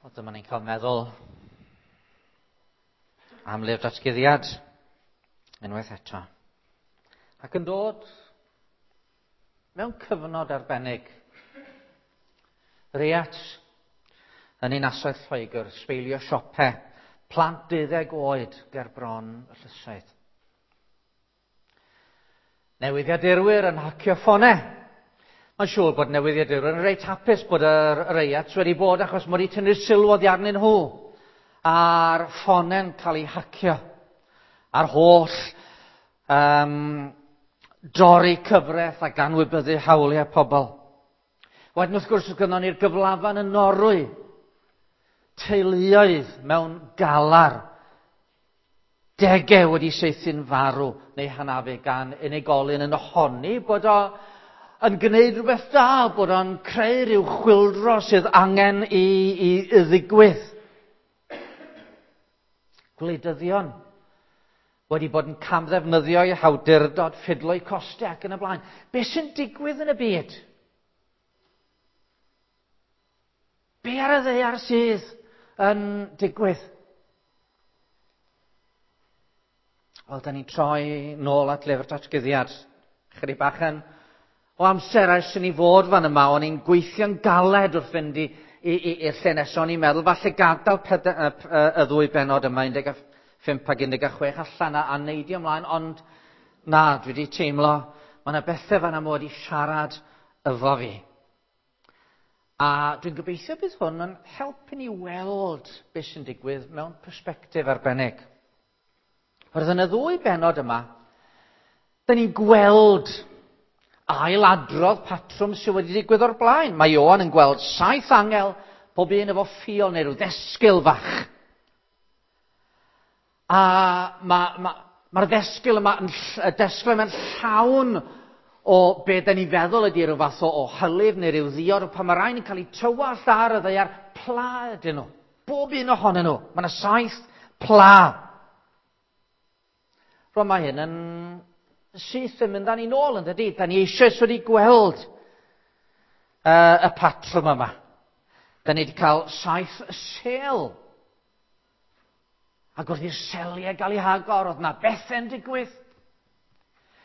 Wel, dyma ni'n cael meddwl am lyfr datguddiad unwaith eto. Ac yn dod mewn cyfnod arbennig. Reiat yn ninasoedd Lloegr, sbeilio siope, plant 12 oed ger bron y llysoedd. Newyddiadurwyr yn hacio ffonau. Mae'n siŵr bod newyddiadurwyr yn reit hapus bod yr reiat wedi bod achos mod i tynnu sylw oddi arnyn nhw a'r ffonau'n cael ei hacio a'r holl dorri cyfraith ac anwybyddu hawliau pobl. Wedyn wrth gwrs oedd gynnon ni'r gyflafan yn Norwy, teuluoedd mewn galar, degau wedi saethu'n farw neu hanafu gan unigolyn yn honni bod o yn gwneud rhywbeth da, bod o'n creu rhyw chwyldro sydd angen i ddigwydd. Gwleidyddion wedi bod yn camddefnyddio eu hawdurdod, ffidlo'u costau ac yn y blaen. Be sy'n digwydd yn y byd? Be ar y ddaear sydd yn digwydd? Wel, da ni'n troi nôl at lyfr datguddiad. Chydig bach yn o amser ers i ni fod fan yma, o'n i'n gweithio'n galed wrth fynd i'r lle nesaf. O'n i'n meddwl, falle gadael y ddwy bennod yma, 15 ac 16 allan a neidio ymlaen, ond na, dwi wedi teimlo, mae yna bethau fan yma wedi siarad efo fi. A dwi'n gobeithio bydd hwn yn helpu ni weld beth sy'n digwydd mewn persbectif arbennig. Roedd yn y ddwy bennod yma, da ni'n gweld ailadrodd patrwm sydd wedi digwydd o'r blaen. Mae Ioan yn gweld 7 angel, pob un efo ffiol neu rhyw ddesgyl fach. A mae'r ddesgyl yma, y desgyl yma'n llawn o be da ni'n feddwl ydy rhyw fath o hylif neu rhyw ddiod, pan mae rhain yn cael eu tywallt ar y ddaear, pla ydyn nhw. Bob un ohonyn nhw. Mae yna 7 pla. Rwan mae hyn yn syth yn mynd â ni nôl, yn dydi? Da ni eisoes wedi gweld y patrwm yma. Da ni wedi cael 7 sêl. Ac wrth i'r seliau gael eu hagor, oedd yna bethau'n digwydd.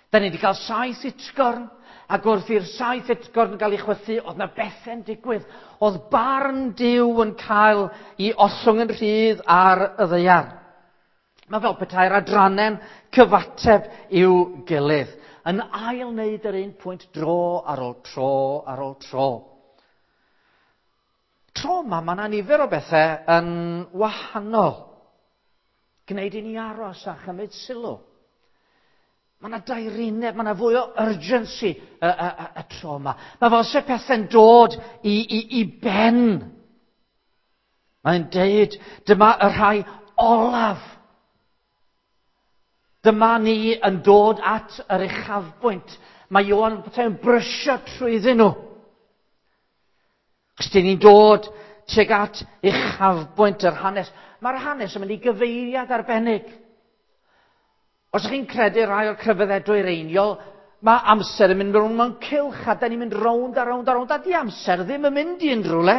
Da ni wedi cael 7 utgorn, ac wrth i'r 7 utgorn gael eu chwythu, oedd yna bethau'n digwydd. Oedd barn Duw yn cael ei ollwng yn rhydd ar y ddaear. Mae fel petai'r adrannau'n cyfateb i'w gilydd, yn ail wneud yr un pwynt dro ar ôl tro ar ôl tro. Tro yma, mae yna nifer o bethau yn wahanol. Gwneud i ni aros a chymryd sylw. Mae yna daerineb, mae yna fwy o urgency y tro yma. Mae fel se pethau'n dod i ben. Mae'n deud, dyma y rhai olaf. Dyma ni yn dod at yr uchafbwynt. Mae Ioan yn brysio trwyddyn nhw. Os dyn ni'n dod tuag at uchafbwynt yr hanes, mae'r hanes yn mynd i gyfeiriad arbennig. Os ydych chi'n credu rhai o'r crefyddau dwyreiniol, mae amser yn mynd rownd mewn cylch, a da ni'n mynd rownd a rownd a rownd, a di amser ddim yn mynd i unrhyw le.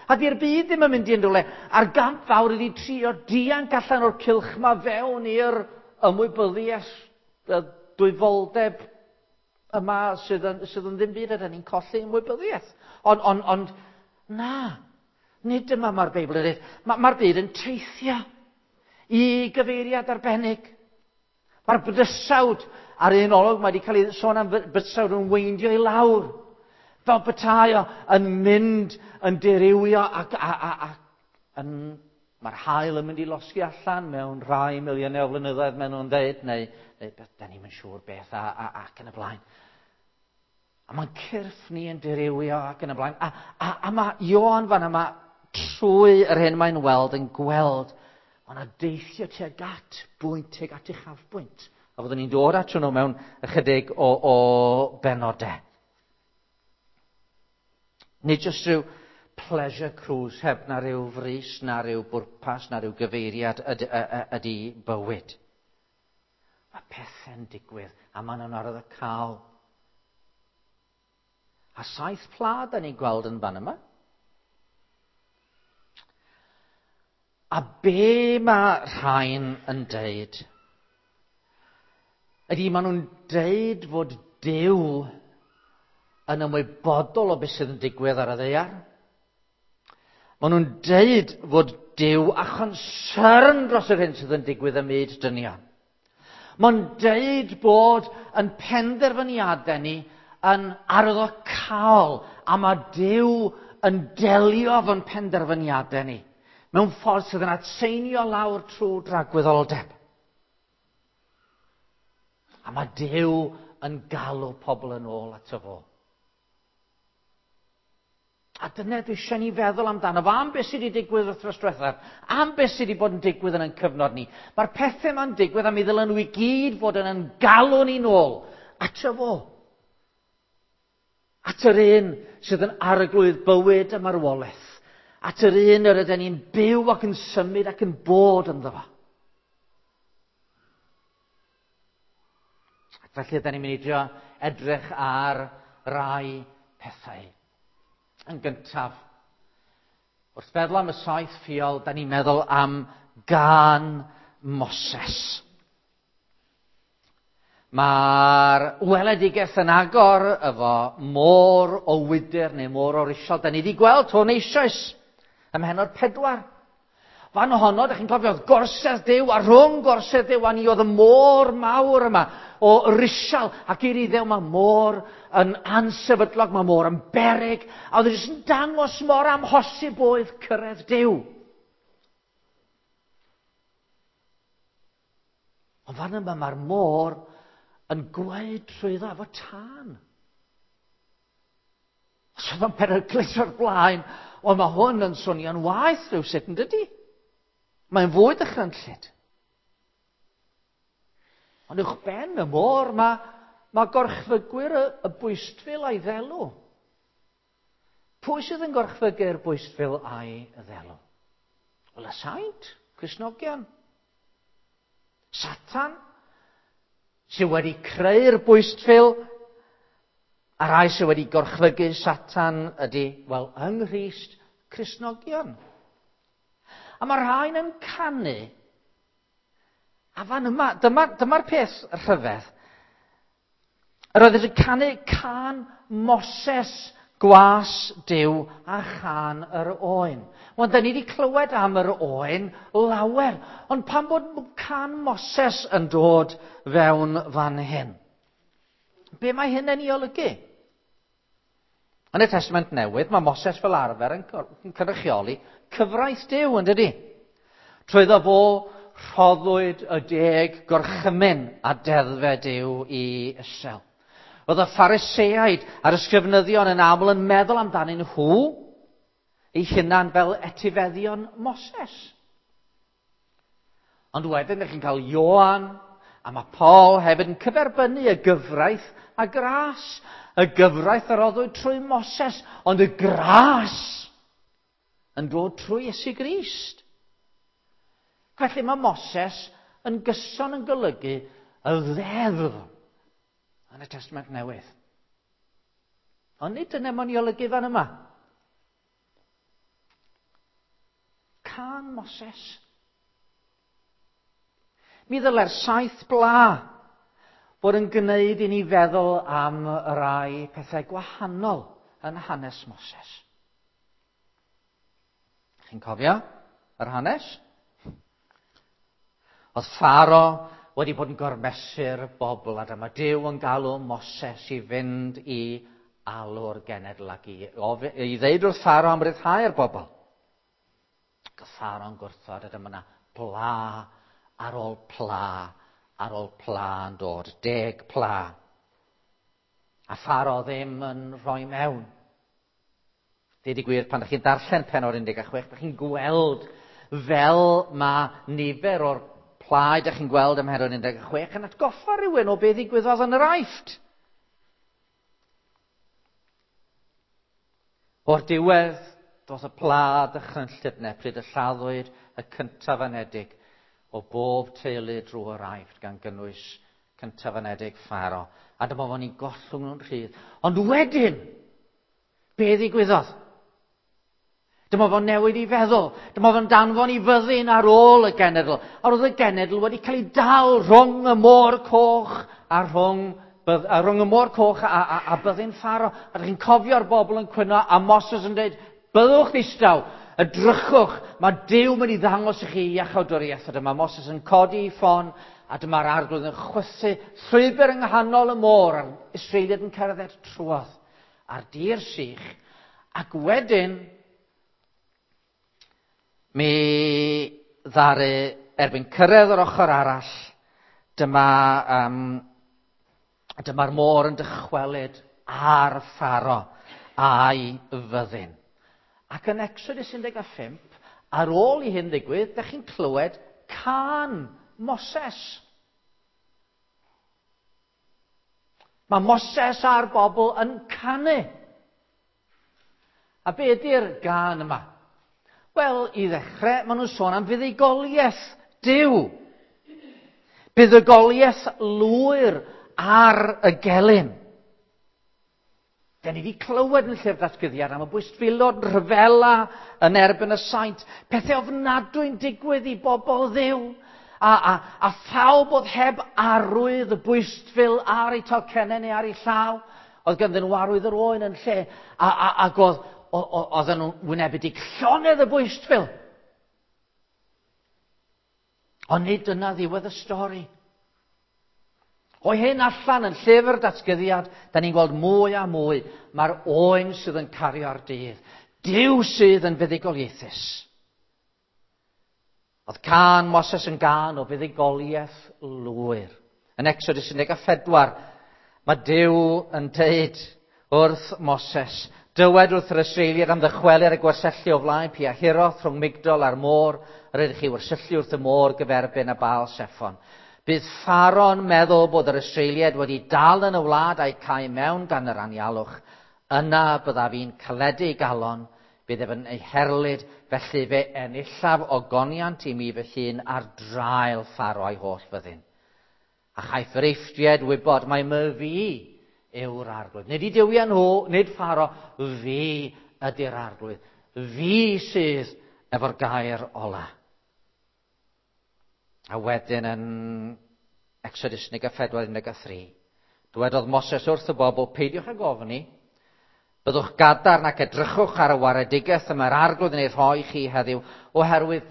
A di'r byd ddim yn mynd i unrhyw le. A'r gamp fawr ydi trio dianc allan o'r cylch ma fewn i'r ymwybyddiaeth, y dwyfoldeb yma sydd yn ddim byd, a da ni'n colli ymwybyddiaeth. Ond na, nid dyma mae'r Beibl yn dweud. Mae'r byd yn teithio i gyfeiriad arbennig. Mae'r bydysawd ar un olwg, mae wedi cael ei sôn am bydysawd yn weindio i lawr. Fel petai o yn mynd, yn dirywio ac yn, mae'r haul yn mynd i losgi allan mewn rhai miliynau o flynyddoedd, maen nhw'n dweud, neu beth, da ni'm yn siŵr beth, ac yn y blaen. A mae'n cyrff ni yn dirywio ac yn y blaen. A mae Ioan fan yma, trwy yr hyn mae'n weld, yn gweld, mae yna deithio tuag at bwynt, tuag at uchafbwynt. A fyddwn ni'n dod at hwnnw mewn ychydig o benodau. Nid jyst rhyw pleasure cruise heb na rhyw frys, na rhyw bwrpas, na rhyw gyfeiriad ydy bywyd. Mae pethau'n digwydd a maen nhw'n arwyddocaol. A 7 pla da ni'n gweld yn fan yma. A be mae rhain yn deud? Ydy maen nhw'n deud fod Duw yn ymwybodol o beth sydd yn digwydd ar y ddaear. Maen nhw'n deud fod Duw a chonsern dros yr hyn sydd yn digwydd ym myd dynion. Mae'n deud bod yn penderfyniadau ni yn arwyddocaol a mae Duw yn delio efo'n penderfyniadau ni mewn ffordd sydd yn atseinio lawr trwy dragwyddoldeb. A mae Duw yn galw pobl yn ôl ato fo. A dyna dwi eisiau ni feddwl amdano fo, am beth sydd wedi digwydd wythnos diwethaf, am beth sydd wedi bod yn digwydd yn ein cyfnod ni. Mae'r pethau yma'n digwydd a mi ddylen nhw i gyd fod yn ein galw ni nôl ato fo. At yr un sydd yn arglwydd bywyd a marwolaeth. At yr un yr ydyn ni'n byw ac yn symud ac yn bod ynddo fo. Ac felly ydyn ni'n mynd i drio edrych ar rai pethau. Yn gyntaf, wrth feddwl am y saith ffiol, da ni'n meddwl am gân Moses. Mae'r weledigaeth yn agor efo môr o wydr neu môr o risial. Da ni wedi gweld hwn eisoes ym mhennod 4. Fan ohono, da chi'n cofio, oedd gorsedd Duw, a rhwng gorsedd Duw a ni oedd y môr mawr yma o risial, ac i'r Iddew mae môr yn ansefydlog, mae môr yn beryg, a oedd e jyst yn dangos mor amhosib oedd cyrraedd Duw. Ond fan yma mae'r môr yn gweud trwyddo efo tân. Os oedd o'n peryglus o'r blaen, wel mae hwn yn swnio'n waeth rhywsut, yn dydy? Mae'n fwy dychrynllyd. Ond uwch ben y môr mae gorchfygwyr y bwystfil a'i ddelw. Pwy sydd yn gorchfygu'r bwystfil a'i ddelw? Wel, y saint, Cristnogion. Satan, sydd wedi creu'r bwystfil, a rai sydd wedi gorchfygu Satan ydy, wel, yng Nghrist, Cristnogion. A mae rhain yn canu. A fan yma, dyma'r peth rhyfedd. Yr oedd yn canu cân Moses, gwas Duw a chân yr oen. Wel, da ni wedi clywed am yr oen lawer, ond pam bod cân Moses yn dod fewn fan hyn? Be mae hyn yn ei olygu? Yn y Testament Newydd, mae Moses fel arfer yn cynrychioli cyfraith Duw, yn dydi? Trwyddo fo rhoddwyd y 10 gorchymyn a deddfau Duw i Israel. Oedd y Phariseaid a'r ysgrifenyddion yn aml yn meddwl amdanyn nhw eu hunan fel etifeddion Moses. Ond wedyn, ydych chi'n cael Ioan, a mae Paul hefyd yn cyferbynnu y gyfraith a gras. Y gyfraith a roddwyd trwy Moses, ond y gras yn dod trwy Iesu Grist. Felly mae Moses yn gyson yn golygu y ddeddf yn y Testament Newydd. Ond nid dyna mae'n ei olygu fan yma. Cân Moses. Mi ddylai'r 7 bla fod yn gwneud i ni feddwl am rai pethau gwahanol yn hanes Moses. Chi'n cofio yr hanes? Oedd Pharo wedi bod yn gormesu'r bobl, a dyma Duw yn galw Moses i fynd i alw'r genedl ac i ddeud wrth Pharo am ryddhau'r bobl. Ac oedd Pharo'n gwrthod, a dyma yna pla ar ôl pla ar ôl pla yn dod, 10 pla. A Pharo ddim yn rhoi mewn. Deud y gwir, pan ydych chi'n darllen pennod 16, ydych chi'n gweld fel mae nifer o'r plau ydych chi'n gweld ym mhennod 16 yn atgoffa rhywun o beth ddigwyddodd yn yr Aifft. O'r diwedd, doedd y pla dychrynllyd 'na pryd y lladdwyd y cyntaf anedig o bob teulu drwy'r Aifft, gan gynnwys cyntaf anedig Pharo. A dyma fo'n ei gollwng nhw'n rhydd. Ond wedyn, be ddigwyddodd? Dyma fo'n newid i feddwl. Dyma fo'n danfon i fyddin ar ôl y genedl. A roedd y genedl wedi cael ei dal rhwng y môr coch a rhwng, a rhwng y môr coch a byddin Pharo. A ydych chi'n cofio'r bobl yn cwyno a Moses yn dweud, byddwch ddistaw, edrychwch, mae Duw mynd i ddangos i chi iachawdwriaeth. A dyma Moses yn codi i ffon, a dyma'r arglwydd yn chwythu llwybr yng nghanol y môr, a'r Israeliad yn cerdded trwodd ar dir sych. Ac wedyn, mi ddaru erbyn cyrraedd yr ochr arall, dyma'r môr yn dychwelyd ar Pharo a'i fyddin. Ac yn Exodus 15, ar ôl i hyn ddigwydd, dych chi'n clywed cân Moses. Mae Moses a'r bobl yn canu. A be ydy'r gân yma? Wel, i ddechrau, maen nhw'n sôn am fuddugoliaeth Duw. Buddugoliaeth lwyr ar y gelyn. Da ni wedi clywed yn llyfr datguddiad am y bwystfilod rhyfela yn erbyn y saint. Pethau ofnadwy'n digwydd i bobl Dduw. A phawb oedd heb arwydd y bwystfil ar eu talcennau neu ar eu llaw. Oedd ganddyn nhw arwydd yr oen yn lle. Ac oedden nhw'n wynebu llonydd y bwystfil. Ond nid dyna ddiwedd y stori. O hyn allan yn llyfr datguddiad, da ni'n gweld mwy a mwy. Mae'r oen sydd yn cario'r dydd. Duw sydd yn fuddugoliaethus. Oedd cân Moses yn gân o fuddugoliaeth lwyr. Yn Exodus 14, mae Duw yn deud wrth Moses, dywed wrth yr Israeliad am ddychwelyd y gwersyllu o flaen Pi-hahiroth rhwng Migdol a'r môr, yr ydych chi wersyllu wrth y môr gyferbyn a Baal Seffon. Bydd Pharo'n meddwl bod yr Israeliad wedi dal yn y wlad a'i cau mewn gan yr anialwch. Yna byddaf i'n caledu galon, bydd ef yn ei herlid, felly fe enillaf ogoniant i mi fy hun ar draul Pharo a'i holl fyddin. A chaiff yr Eifftiaid wybod mai my fi yw'r arglwydd. Nid i duwiau nhw, nid Pharo, fi ydy'r arglwydd. Fi sydd efo'r gair ola. A wedyn yn Exodus 14, 13, dywedodd Moses wrth y bobl, peidiwch ag ofni, byddwch gadarn ac edrychwch ar y waredigaeth y mae'r arglwydd yn ei rhoi chi heddiw, oherwydd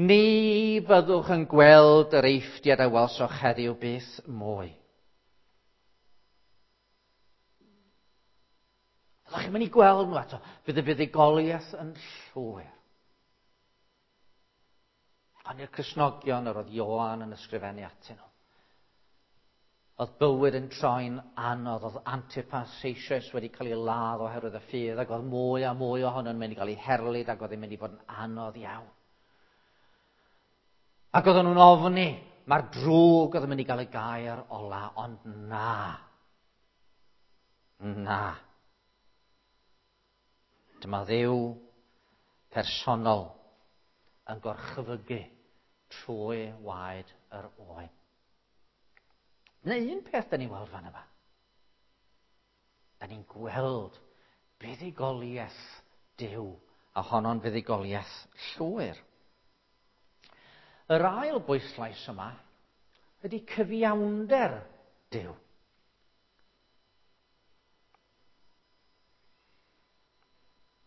ni fyddwch yn gweld yr Eifftiaid a welsoch heddiw byth mwy. Fyddwch chi'n mynd i gweld nhw eto, fydd y fuddugoliaeth yn llwyr. Ond i'r Cristnogion yr oedd Ioan yn ysgrifennu atyn nhw. Oedd bywyd yn troi'n anodd, oedd Antipas eisoes wedi cael ei ladd oherwydd y ffydd, ac oedd mwy a mwy ohonyn nhw'n mynd i gael ei herlid, ac oedd hi'n mynd i fod yn anodd iawn. Ac oedden nhw'n ofni, mae'r drwg oedd yn mynd i gael y gair ola, ond na. Na. Dyma Dduw personol yn gorchfygu trwy waed yr oen. Neu un peth da ni'n weld fan yma. Da ni'n gweld buddugoliaeth Duw, a honno'n fuddugoliaeth llwyr. Yr ail bwyslais yma ydy cyfiawnder Duw.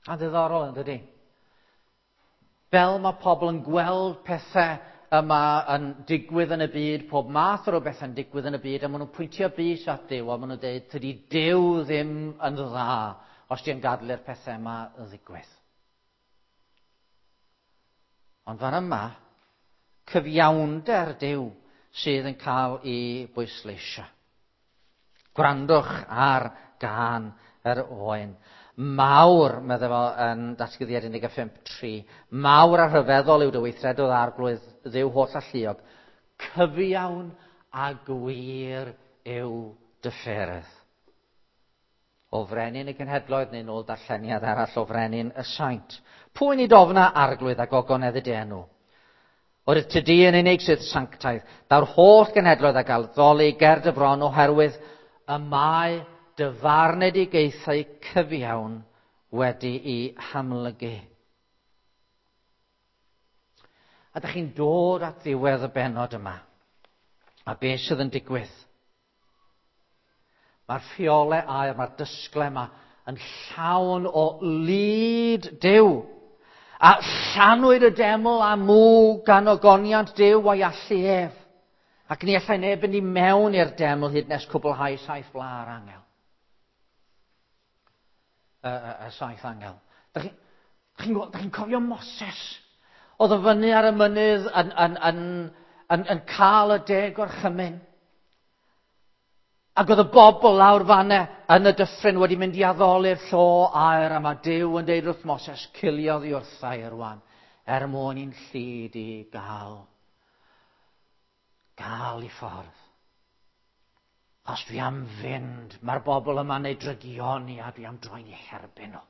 A ddiddorol yn dydy? Fel mae pobl yn gweld pethau yma yn digwydd yn y byd, pob math o rywbeth yn digwydd yn y byd, a maen nhw'n pwyntio bys at Duw, a maen nhw'n dweud, tydi Duw ddim yn dda os di'n gadael i'r pethau yma ddigwydd. Ond fan yma, cyfiawnder Duw sydd yn cael ei bwysleisio. Gwrandwch ar gân yr oen. Mawr, meddai fo yn Datguddiad 15:3, mawr a rhyfeddol yw dy weithredoedd arglwydd Dduw holl alluog, cyfiawn a gwir yw dy ffyrdd. O frenin y genhedloedd neu nôl darlleniad arall o frenin y saint. Pwy nid ofna arglwydd a gogonedd y enw? O'r ty di yn unig sydd sanctaidd, daw'r holl genhedloedd a gael ddoli ger dy fron oherwydd y mae dy farnedigaethau cyfiawn wedi'i hamlygu. A da chi'n dod at ddiwedd y bennod yma. A beth sydd yn digwydd? Mae'r ffiolau aur, mae'r dysgle yma yn llawn o lid Duw. A llanwyd y deml â mwg gan ogoniant Duw a'i allu ef. Ac ni allai neb fynd i mewn i'r deml hyd nes cwblhau saith bla'r angel. Y saith angel. Da chi'n chi, chi cofio Moses? Oedd o fyny ar y mynydd yn cael y deg gorchymyn. Ac oedd y bobl lawr fanne yn y dyffryn wedi mynd i addoli'r llo aur, a mae Duw yn deud wrth Moses, cilio oddi wrtha i rwan, er mwyn i'n llid i gael i ffordd. Os dwi am fynd, mae'r bobl yma'n ei drygioni a dwi am droi'n eu herbyn nhw.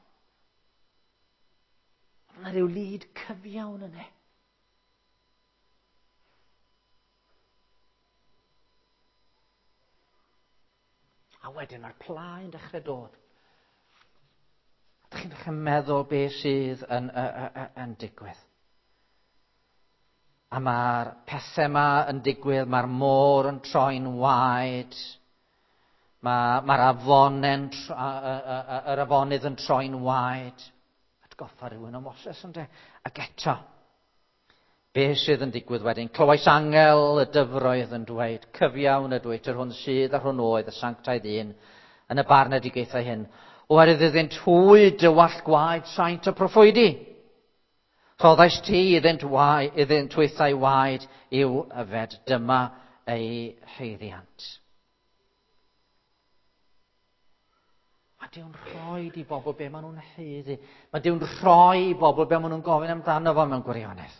Mae yna rhyw lid cyfiawn yna. A wedyn mae'r pla yn dechrau dod. Ydych chi'n dechrau meddwl beth sydd yn digwydd. A mae'r pethau yma yn digwydd, mae'r môr yn troi'n waed, mae'r yr afonydd yn troi'n waed. Atgoffa rhywun o Moses, ynde? Ac eto, beth sydd yn digwydd wedyn? Clywais angel y dyfroedd yn dweud, cyfiawn ydwyt, yr hwn sydd a'r hwn oedd, y sanctaidd un, yn y barnedigaethau hyn. Oherwydd iddynt hwy dywallt gwaed saint y proffwydi. Rhoddais ti iddynt hwythau waed i'w yfed. Dyma eu haeddiant. Mae Duw'n rhoi i bobl be maen nhw'n haeddu. Mae Duw'n rhoi i bobl be maen nhw'n gofyn amdano fo mewn gwirionedd.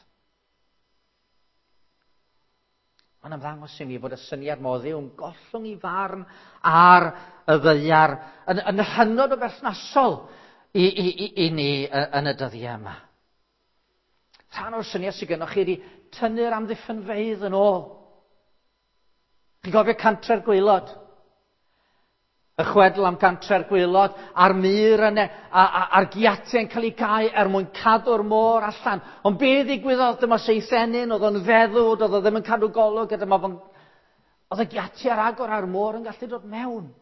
Mae'n ymddangos i mi fod y syniad mo Dduw'n gollwng i farn ar y ddaear yn hynod o berthnasol i ni yn y dyddiau yma. Rhan o'r syniad sydd gennych chi ydy tynnu'r amddiffynfeydd yn ôl. Chi'n cofio Cantre'r Gwaelod? Y chwedl am Cantre'r Gwaelod, a'r mur yna, a'r giatiau yn cael ei gau er mwyn cadw'r môr allan. Ond be ddigwyddodd? Dyma Seithenyn, oedd o'n feddw, oedd o ddim yn cadw golwg, a dyma fo'n... Oedd y giatiau ar agor a'r môr yn gallu dod mewn.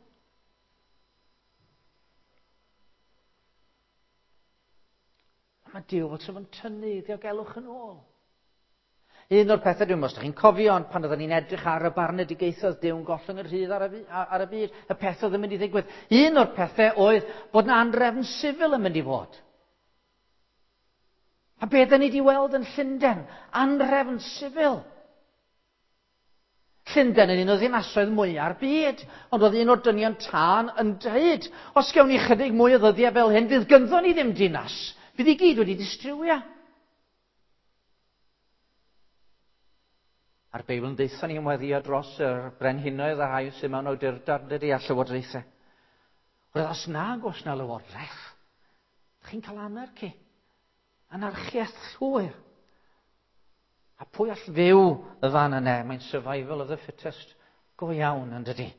Mae Duw fel sa fo'n tynnu ddiogelwch yn ôl. Un o'r pethau, dwi'n meddwl, os ydych chi'n cofio, ond pan oedden ni'n edrych ar y barnedigaethoedd Duw'n gollwng yr rhydd ar y byd, y peth oedd yn mynd i ddigwydd. Un o'r pethau oedd bod yna anrefn sifil yn mynd i fod. A be dyn ni wedi weld yn Llundain? Anrefn sifil. Llundain yn un o ddinasoedd mwya'r byd, ond oedd un o'r dynion tân yn dweud, os gewn ni chydig mwy o ddyddiau fel hyn, fydd gynddo ni ddim dinas. Fydd i gyd wedi distrywio. A'r Beibl yn deutha ni ymweddio dros yr brenhinoedd a rhai sydd mewn awdurdod, dydy, a llywodraethau. Roedd os nag oes na lywodraeth, chi'n cael anarchy. Anarchiaeth llwyr. A pwy all fyw y fan yna? Mae'n survival of the fittest go iawn, yn dydy.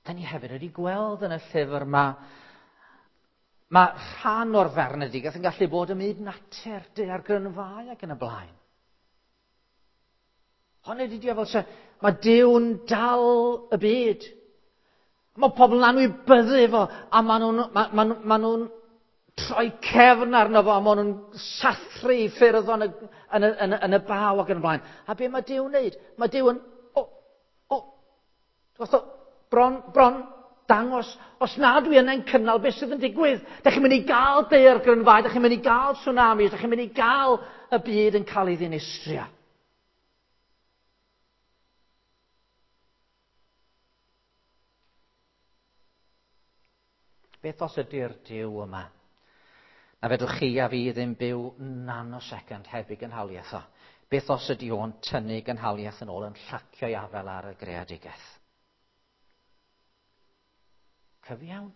Da ni hefyd wedi gweld yn y llyfr yma, mae rhan o'r farnedigaeth yn gallu bod ym myd natur, daeargrynfâu ac yn y blaen. Ond ydy fel se, mae Duw'n dal y byd. Mae pobl yn anwybyddu fo, a maen nhw'n troi cefn arno fo, a maen nhw'n sathru i ffyrdd yn y baw ac yn y blaen. A be mae Duw'n wneud? Mae Duw yn, bron dangos, os na dwi yna'n cynnal beth sydd yn digwydd. Da chi'n mynd i gael daeargrynfâu, da chi'n mynd i gael tsunamis, da chi'n mynd i gael y byd yn cael ei ddinistrio. Beth os ydy'r Duw yma? Na fedrwch chi a fi ddim byw nanosecond heb ei gynhaliaeth o. Beth os ydy o'n tynnu gynhaliaeth yn ôl yn llacio'i afael ar y greadigaeth? Cyfiawn.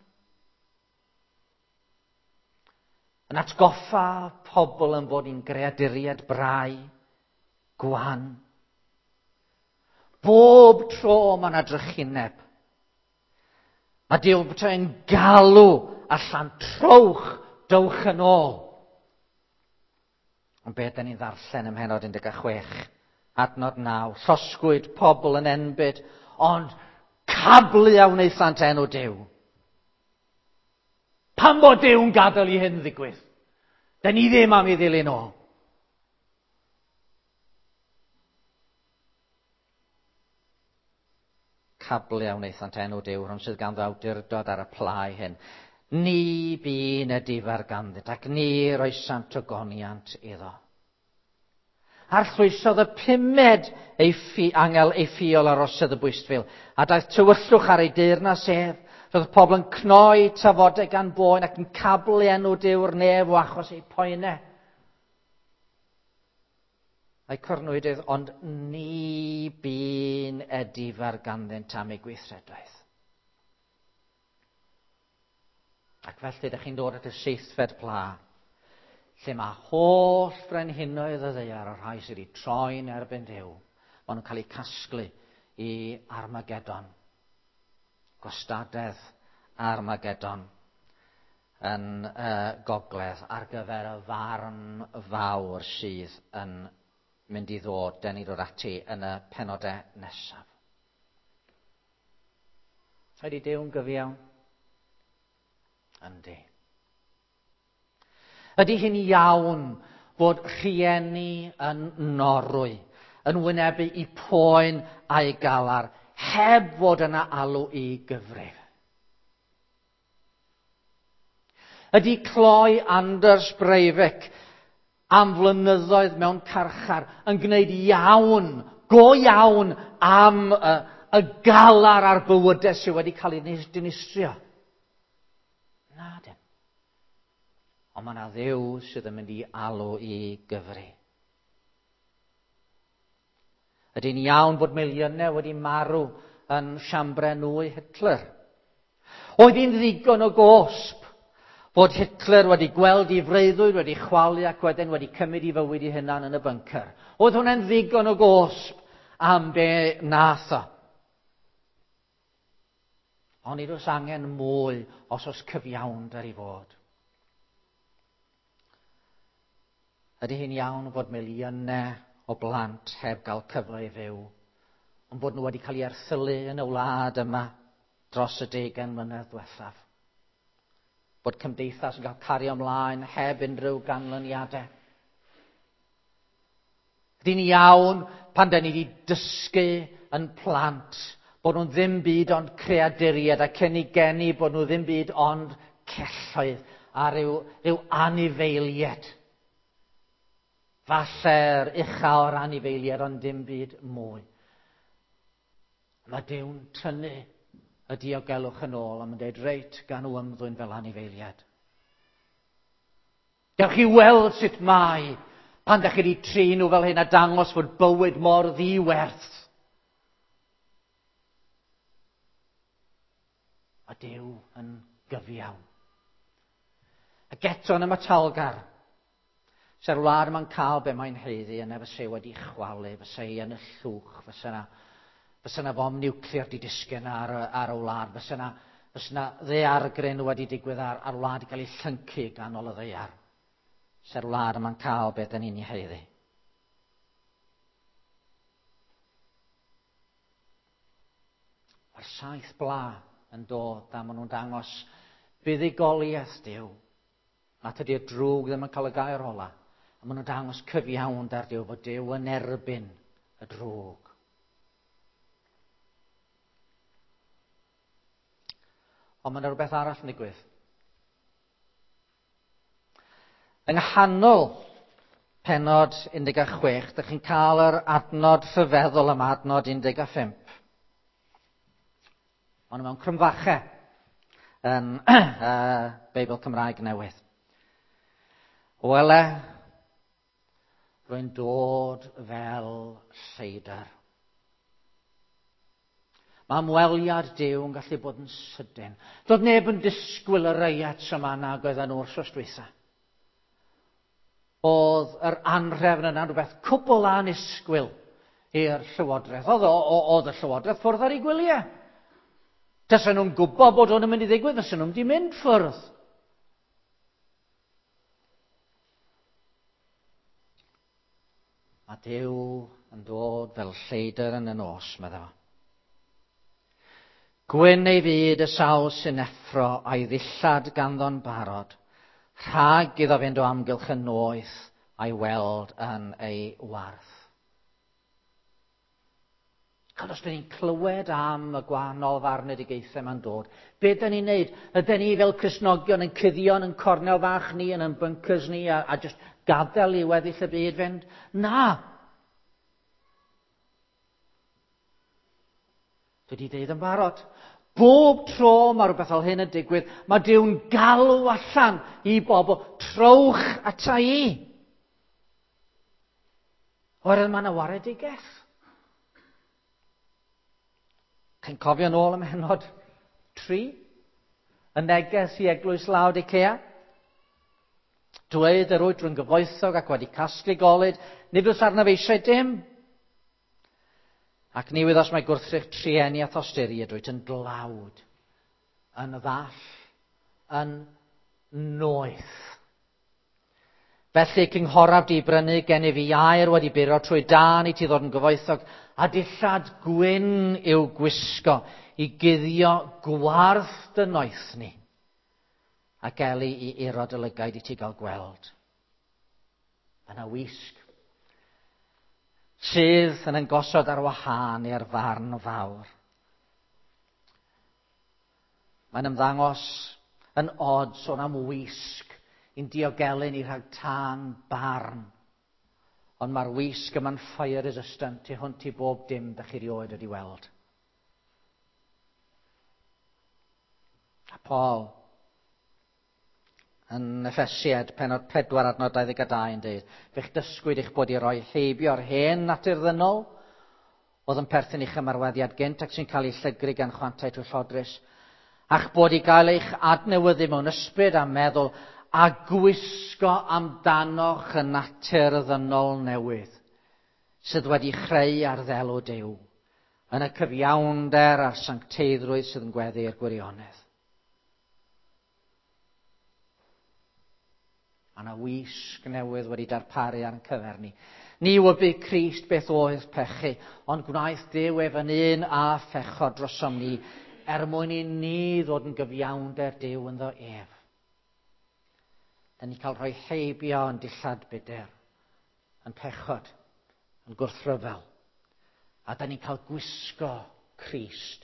Yn atgoffa pobl yn bod ni'n greaduriaid brau, gwan. Bob tro mae yna drychineb. Mae Duw yn galw allan, trowch, Dowch yn ôl. Ond beth da ni'n ddarllen ym mhennod 16, adnod 9, llosgwyd pobl yn enbyd, ond cablu a wnaethant enw Duw. Pam bod Duw'n gadael i hyn ddigwydd? Da ni ddim am ei ddilyn o. Cablu a wnaethant enw Duw, rhwng sydd ganddo awdurdod ar y plau hyn. Ni bu'n edifar ganddynt, ac ni roesant ogoniant iddo. Arllwysodd y pumed ei ffi, angel ei ffiol ar osedd y bwystfil, a daeth tywyllwch ar ei deyrnas ef. Roedd pobl yn cnoi tafodau gan boen ac yn cablu enw Duw'r nef o achos eu poenau. A'i cornwydydd, ond ni bu'n edifar ganddynt am eu gweithredoedd. Ac felly, ydych chi'n dod at y seithfed pla, lle mae holl frenhinoedd y ddaear, y rhai sydd wedi troi'n erbyn Duw, maen nhw'n cael eu casglu i Armageddon. Gwastadedd Armageddon yn gogledd ar gyfer y farn fawr sydd yn mynd i ddod, den ni ddod ati yn y penodau nesaf. Ydy Duw'n gyfiawn? Yndi. Ydy hi'n iawn fod rhieni yn Norwy yn wynebu i poen a'i galar heb fod yna alw i gyfrif? Ydy cloi Anders Breivik am flynyddoedd mewn carchar yn gwneud iawn, go iawn, am y, y galar a'r bywydau sydd wedi cael ei dinistrio? Na, dim. Ond mae yna Dduw sydd yn mynd i alw i gyfri. Ydy'n iawn bod miliynau wedi marw yn siambrau nwy Hitler? Oedd hi'n ddigon o gosb fod Hitler wedi gweld ei freuddwyd wedi chwalu ac wedyn wedi cymryd ei fywyd ei hunan yn y bunker? Oedd hwnna'n ddigon o gosb am be nath o? Ond nid oes angen mwy os oes cyfiawnder i fod. Ydy hi'n iawn fod miliynau o blant heb gael cyfle i fyw, ond bod nhw wedi cael eu erthylu yn y wlad yma dros y 20 mlynedd diwethaf? Bod cymdeithas yn cael cario ymlaen heb unrhyw ganlyniadau? Ydy'n iawn pan da ni wedi dysgu yn plant bod nhw'n ddim byd ond creaduriaid a cyn i geni bod nhw ddim byd ond celloedd a rhyw, rhyw anifeiliaid. Falle'r ucha o'r anifeiliaid ond dim byd mwy. Mae Duw'n tynnu y diogelwch yn ôl a mae'n dweud, reit, gan nhw ymddwyn fel anifeiliaid. Gewch chi weld sut mae pan da chi wedi trin nhw fel hyn a dangos fod bywyd mor ddiwerth. A Duw yn gyfiawn. Ac eto yn ymatalgar, se'r wlad yma'n cael be mae'n haeddu yna fysa wedi chwalu, fysa hi yn y llwch, fysa yna, fysa yna fom niwclear di disgyn ar, ar y wlad, fysa yna, fysa yna ddaeargryn wedi digwydd ar, ar wlad i gael ei llyncu ganol y ddaear. Se'r wlad yma'n cael be da ni'n ei haeddu. Mae'r saith bla yn dod a maen nhw'n dangos buddugoliaeth Duw. Na tydi'r drwg ddim yn cael y gair ola. A maen nhw'n dangos cyfiawnder Duw, fod Duw yn erbyn y drwg. Ond mae yna rhywbeth arall yn digwydd. Yng nghanol pennod 16, dych chi'n cael yr adnod rhyfeddol yma, adnod 15. Ond mewn crymfachau yn Beibl Cymraeg Newydd. Wele, rwy'n dod fel lleidr. Mae ymweliad Duw yn gallu bod yn sydyn. Doedd neb yn disgwyl y reiat yma nag oedden nhw wrth dwytha. Oedd yr anrhefn yna'n rhywbeth cwbl annisgwyl i'r llywodraeth. Oedd, oedd y llywodraeth ffwrdd ar ei gwyliau. Tasen nhw'n gwybod bod hwn yn mynd i ddigwydd, fysen nhw'n mynd i mynd ffwrdd. Mae Duw yn dod fel lleidr yn y nos, medda fo. Gwyn ei fyd y sawl sy'n effro a'i ddillad ganddo'n barod, rhag iddo fynd o amgylch y noeth a'i weld yn ei warth. Ond os dyn ni'n clywed am y gwahanol farnedigaethau ma'n dod, be dyn ni'n neud? Ydyn ni fel Cristnogion yn cuddio yn cornel fach ni, yn ein bunkers ni, a just gadael i weddill y byd fynd? Na! Dwi wedi deud yn barod. Bob tro mae rhywbeth fel hyn yn digwydd, mae Duw'n galw allan i bobl, trowch ata i. Oherwydd mae yna waredigaeth. Chi'n cofio nôl ym mhennod 3? Y neges i eglwys Laodicea? Dweud yr wyt rwy'n gyfoethog ac wedi casglu golud, nid oes arnaf eisiau dim. Ac ni wyddors mai gwrthrych trueni a thosturi ydwyt yn dlawd, yn ddall, yn noeth. Felly cynghoraf di brynu gennyf i aur wedi buro trwy dân i ti ddod yn gyfoethog, a dillad gwyn i'w gwisgo i guddio gwarth dy noethni, ac eli i iro dy lygaid i ti gael gweld. Mae yna wisg sydd yn ein gosod ar wahân i'r farn fawr. Mae'n ymddangos yn od sôn am wisg i'n diogelu ni rhag tân barn. Ond mae'r wisg yma'n fire resistant tu hwnt i bob dim da chi rioed wedi weld. A Paul yn Effesiaid pennod 4 adnod 22 yn dweud, fe'ch dysgwyd eich bod i roi heibio'r hen natur ddynol, oedd yn perthyn i'ch ymarweddiad gynt ac sy'n cael ei llygru gan chwantau twyllodrus, a'ch bod i gael eich adnewyddu mewn ysbryd a meddwl a gwisgo amdanoch y natur ddynol newydd, sydd wedi chreu ar ddelw Duw, yn y cyfiawnder a'r sancteiddrwydd sydd yn gweddu i'r gwirionedd. Mae yna wisg newydd wedi darparu ar ein cyfer ni. Ni wybu Crist beth oedd pechu, ond gwnaeth Duw ef yn un a phechod drosom ni, er mwyn i ni ddod yn gyfiawnder Duw ynddo ef. Da ni cael rhoi heibio yn dillad budr, yn pechod, yn gwrthryfel. A da ni'n cael gwisgo Crist,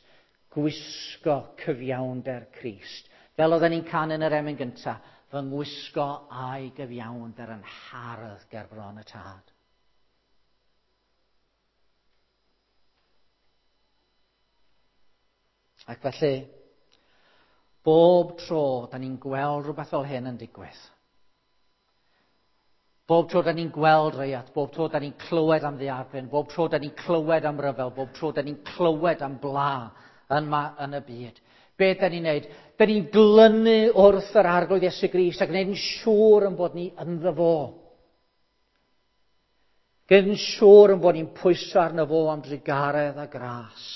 gwisgo cyfiawnder Crist. Fel oedden ni'n canu yn yr emyn gyntaf, fy ngwisgo a'i gyfiawnder yn hardd ger bron y Tad. Ac felly, bob tro da ni'n gweld rhywbeth fel hyn yn digwydd, bob tro da ni'n gweld reiat, bob tro da ni'n clywed am ddiarfen, bob tro da ni'n clywed am ryfel, bob tro da ni'n clywed am bla yma yn y byd, be da ni'n neud? Da ni'n glynu wrth yr Arglwydd Iesu Grist a gwneud yn siŵr yn bod ni ynddo fo. Gwneud yn siŵr yn bod ni'n pwyso arno fo am drugaredd a gras.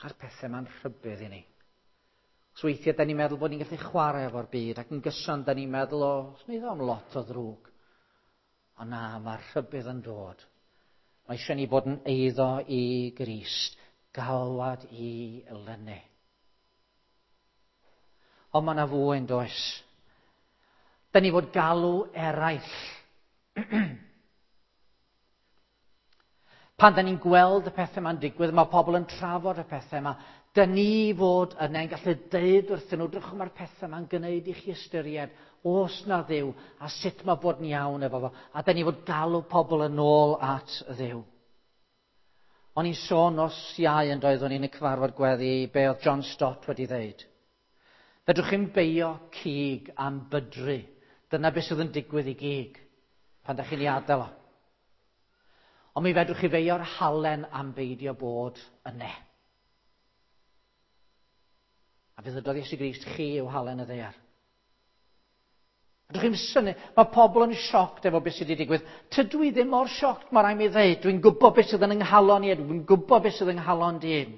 A'r pethau ma'n rhybudd i ni. Os weithiau da ni'n meddwl bod ni'n gallu chwarae efo'r byd ac yn gyson da ni'n meddwl, o, os wneud o'n lot o ddrwg. Ond na, mae'r rhybudd yn dod. Mae eisiau ni bod yn eiddo i Grist, galwad i lynu. Ond mae yna fwy yn does. Da ni fod galw eraill. Pan da ni'n gweld y pethau ma'n digwydd, mae pobl yn trafod y pethau yma, da ni fod yna'n gallu deud wrthyn nhw, drychwch mae'r pethau ma'n gwneud i chi ystyried, oes na Dduw, a sut mae bod yn iawn efo fo, a da ni fod galw pobl yn ôl at Dduw. O'n i'n sôn nos Iau yn doedd, o'n i'n y cyfarfod gweddi, be oedd John Stott wedi ddeud. Fedrwch chi'm beio cig am bydru. Dyna beth sydd yn digwydd i gig pan da chi'n ei adael o. Ond mi fedrwch chi feio'r halen am beidio bod yne. A fe ddydodd Iesu Grist, chi yw halen y ddaear. Ydych chi'n synnu, mae pobl yn sioct efo beth sydd wedi digwydd. Tydw i ddim mor sioct, mae rhaid mi ddeud. Dwi'n gwybod beth sydd yn yng nghalon i, dwi'n gwybod beth sydd yng nghalon dyn.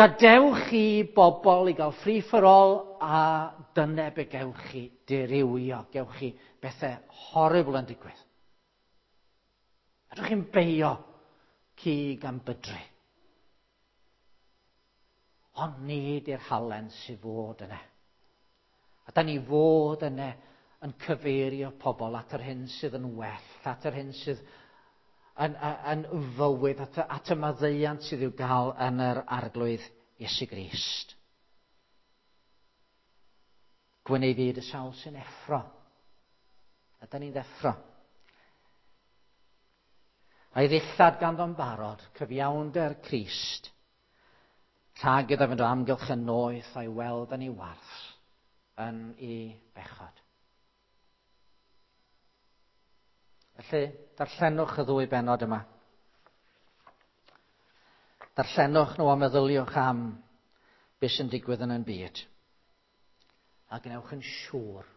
Gadewch chi bobl i gael free for all a dyna be gewch chi dirywio, gewch chi bethau horrible yn digwydd. Ydych chi'n beio cig am bydru. Ond nid i'r halen sydd fod yna. A da ni fod yna yn cyfeirio pobl at yr hyn sydd yn well, at yr hyn sydd yn fywyd, at y maddeuant sydd i'w gael yn yr Arglwydd Iesu Grist. Gwyn ei fyd y sawl sy'n effro. A da ni'n ddeffro. A'i ddillad ganddo'n barod, cyfiawnder Crist, rhag iddo fynd o amgylch yn noeth a'i weld yn ei warth yn ei bechod. Felly, darllenwch y ddwy bennod yma. Darllenwch nhw a meddyliwch am beth sy'n digwydd yn ein byd. A gwnewch yn siŵr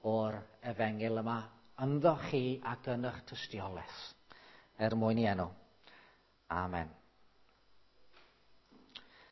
o'r efengyl yma ynddo chi ac yn eich tystiolaeth, er mwyn i enw. Amen.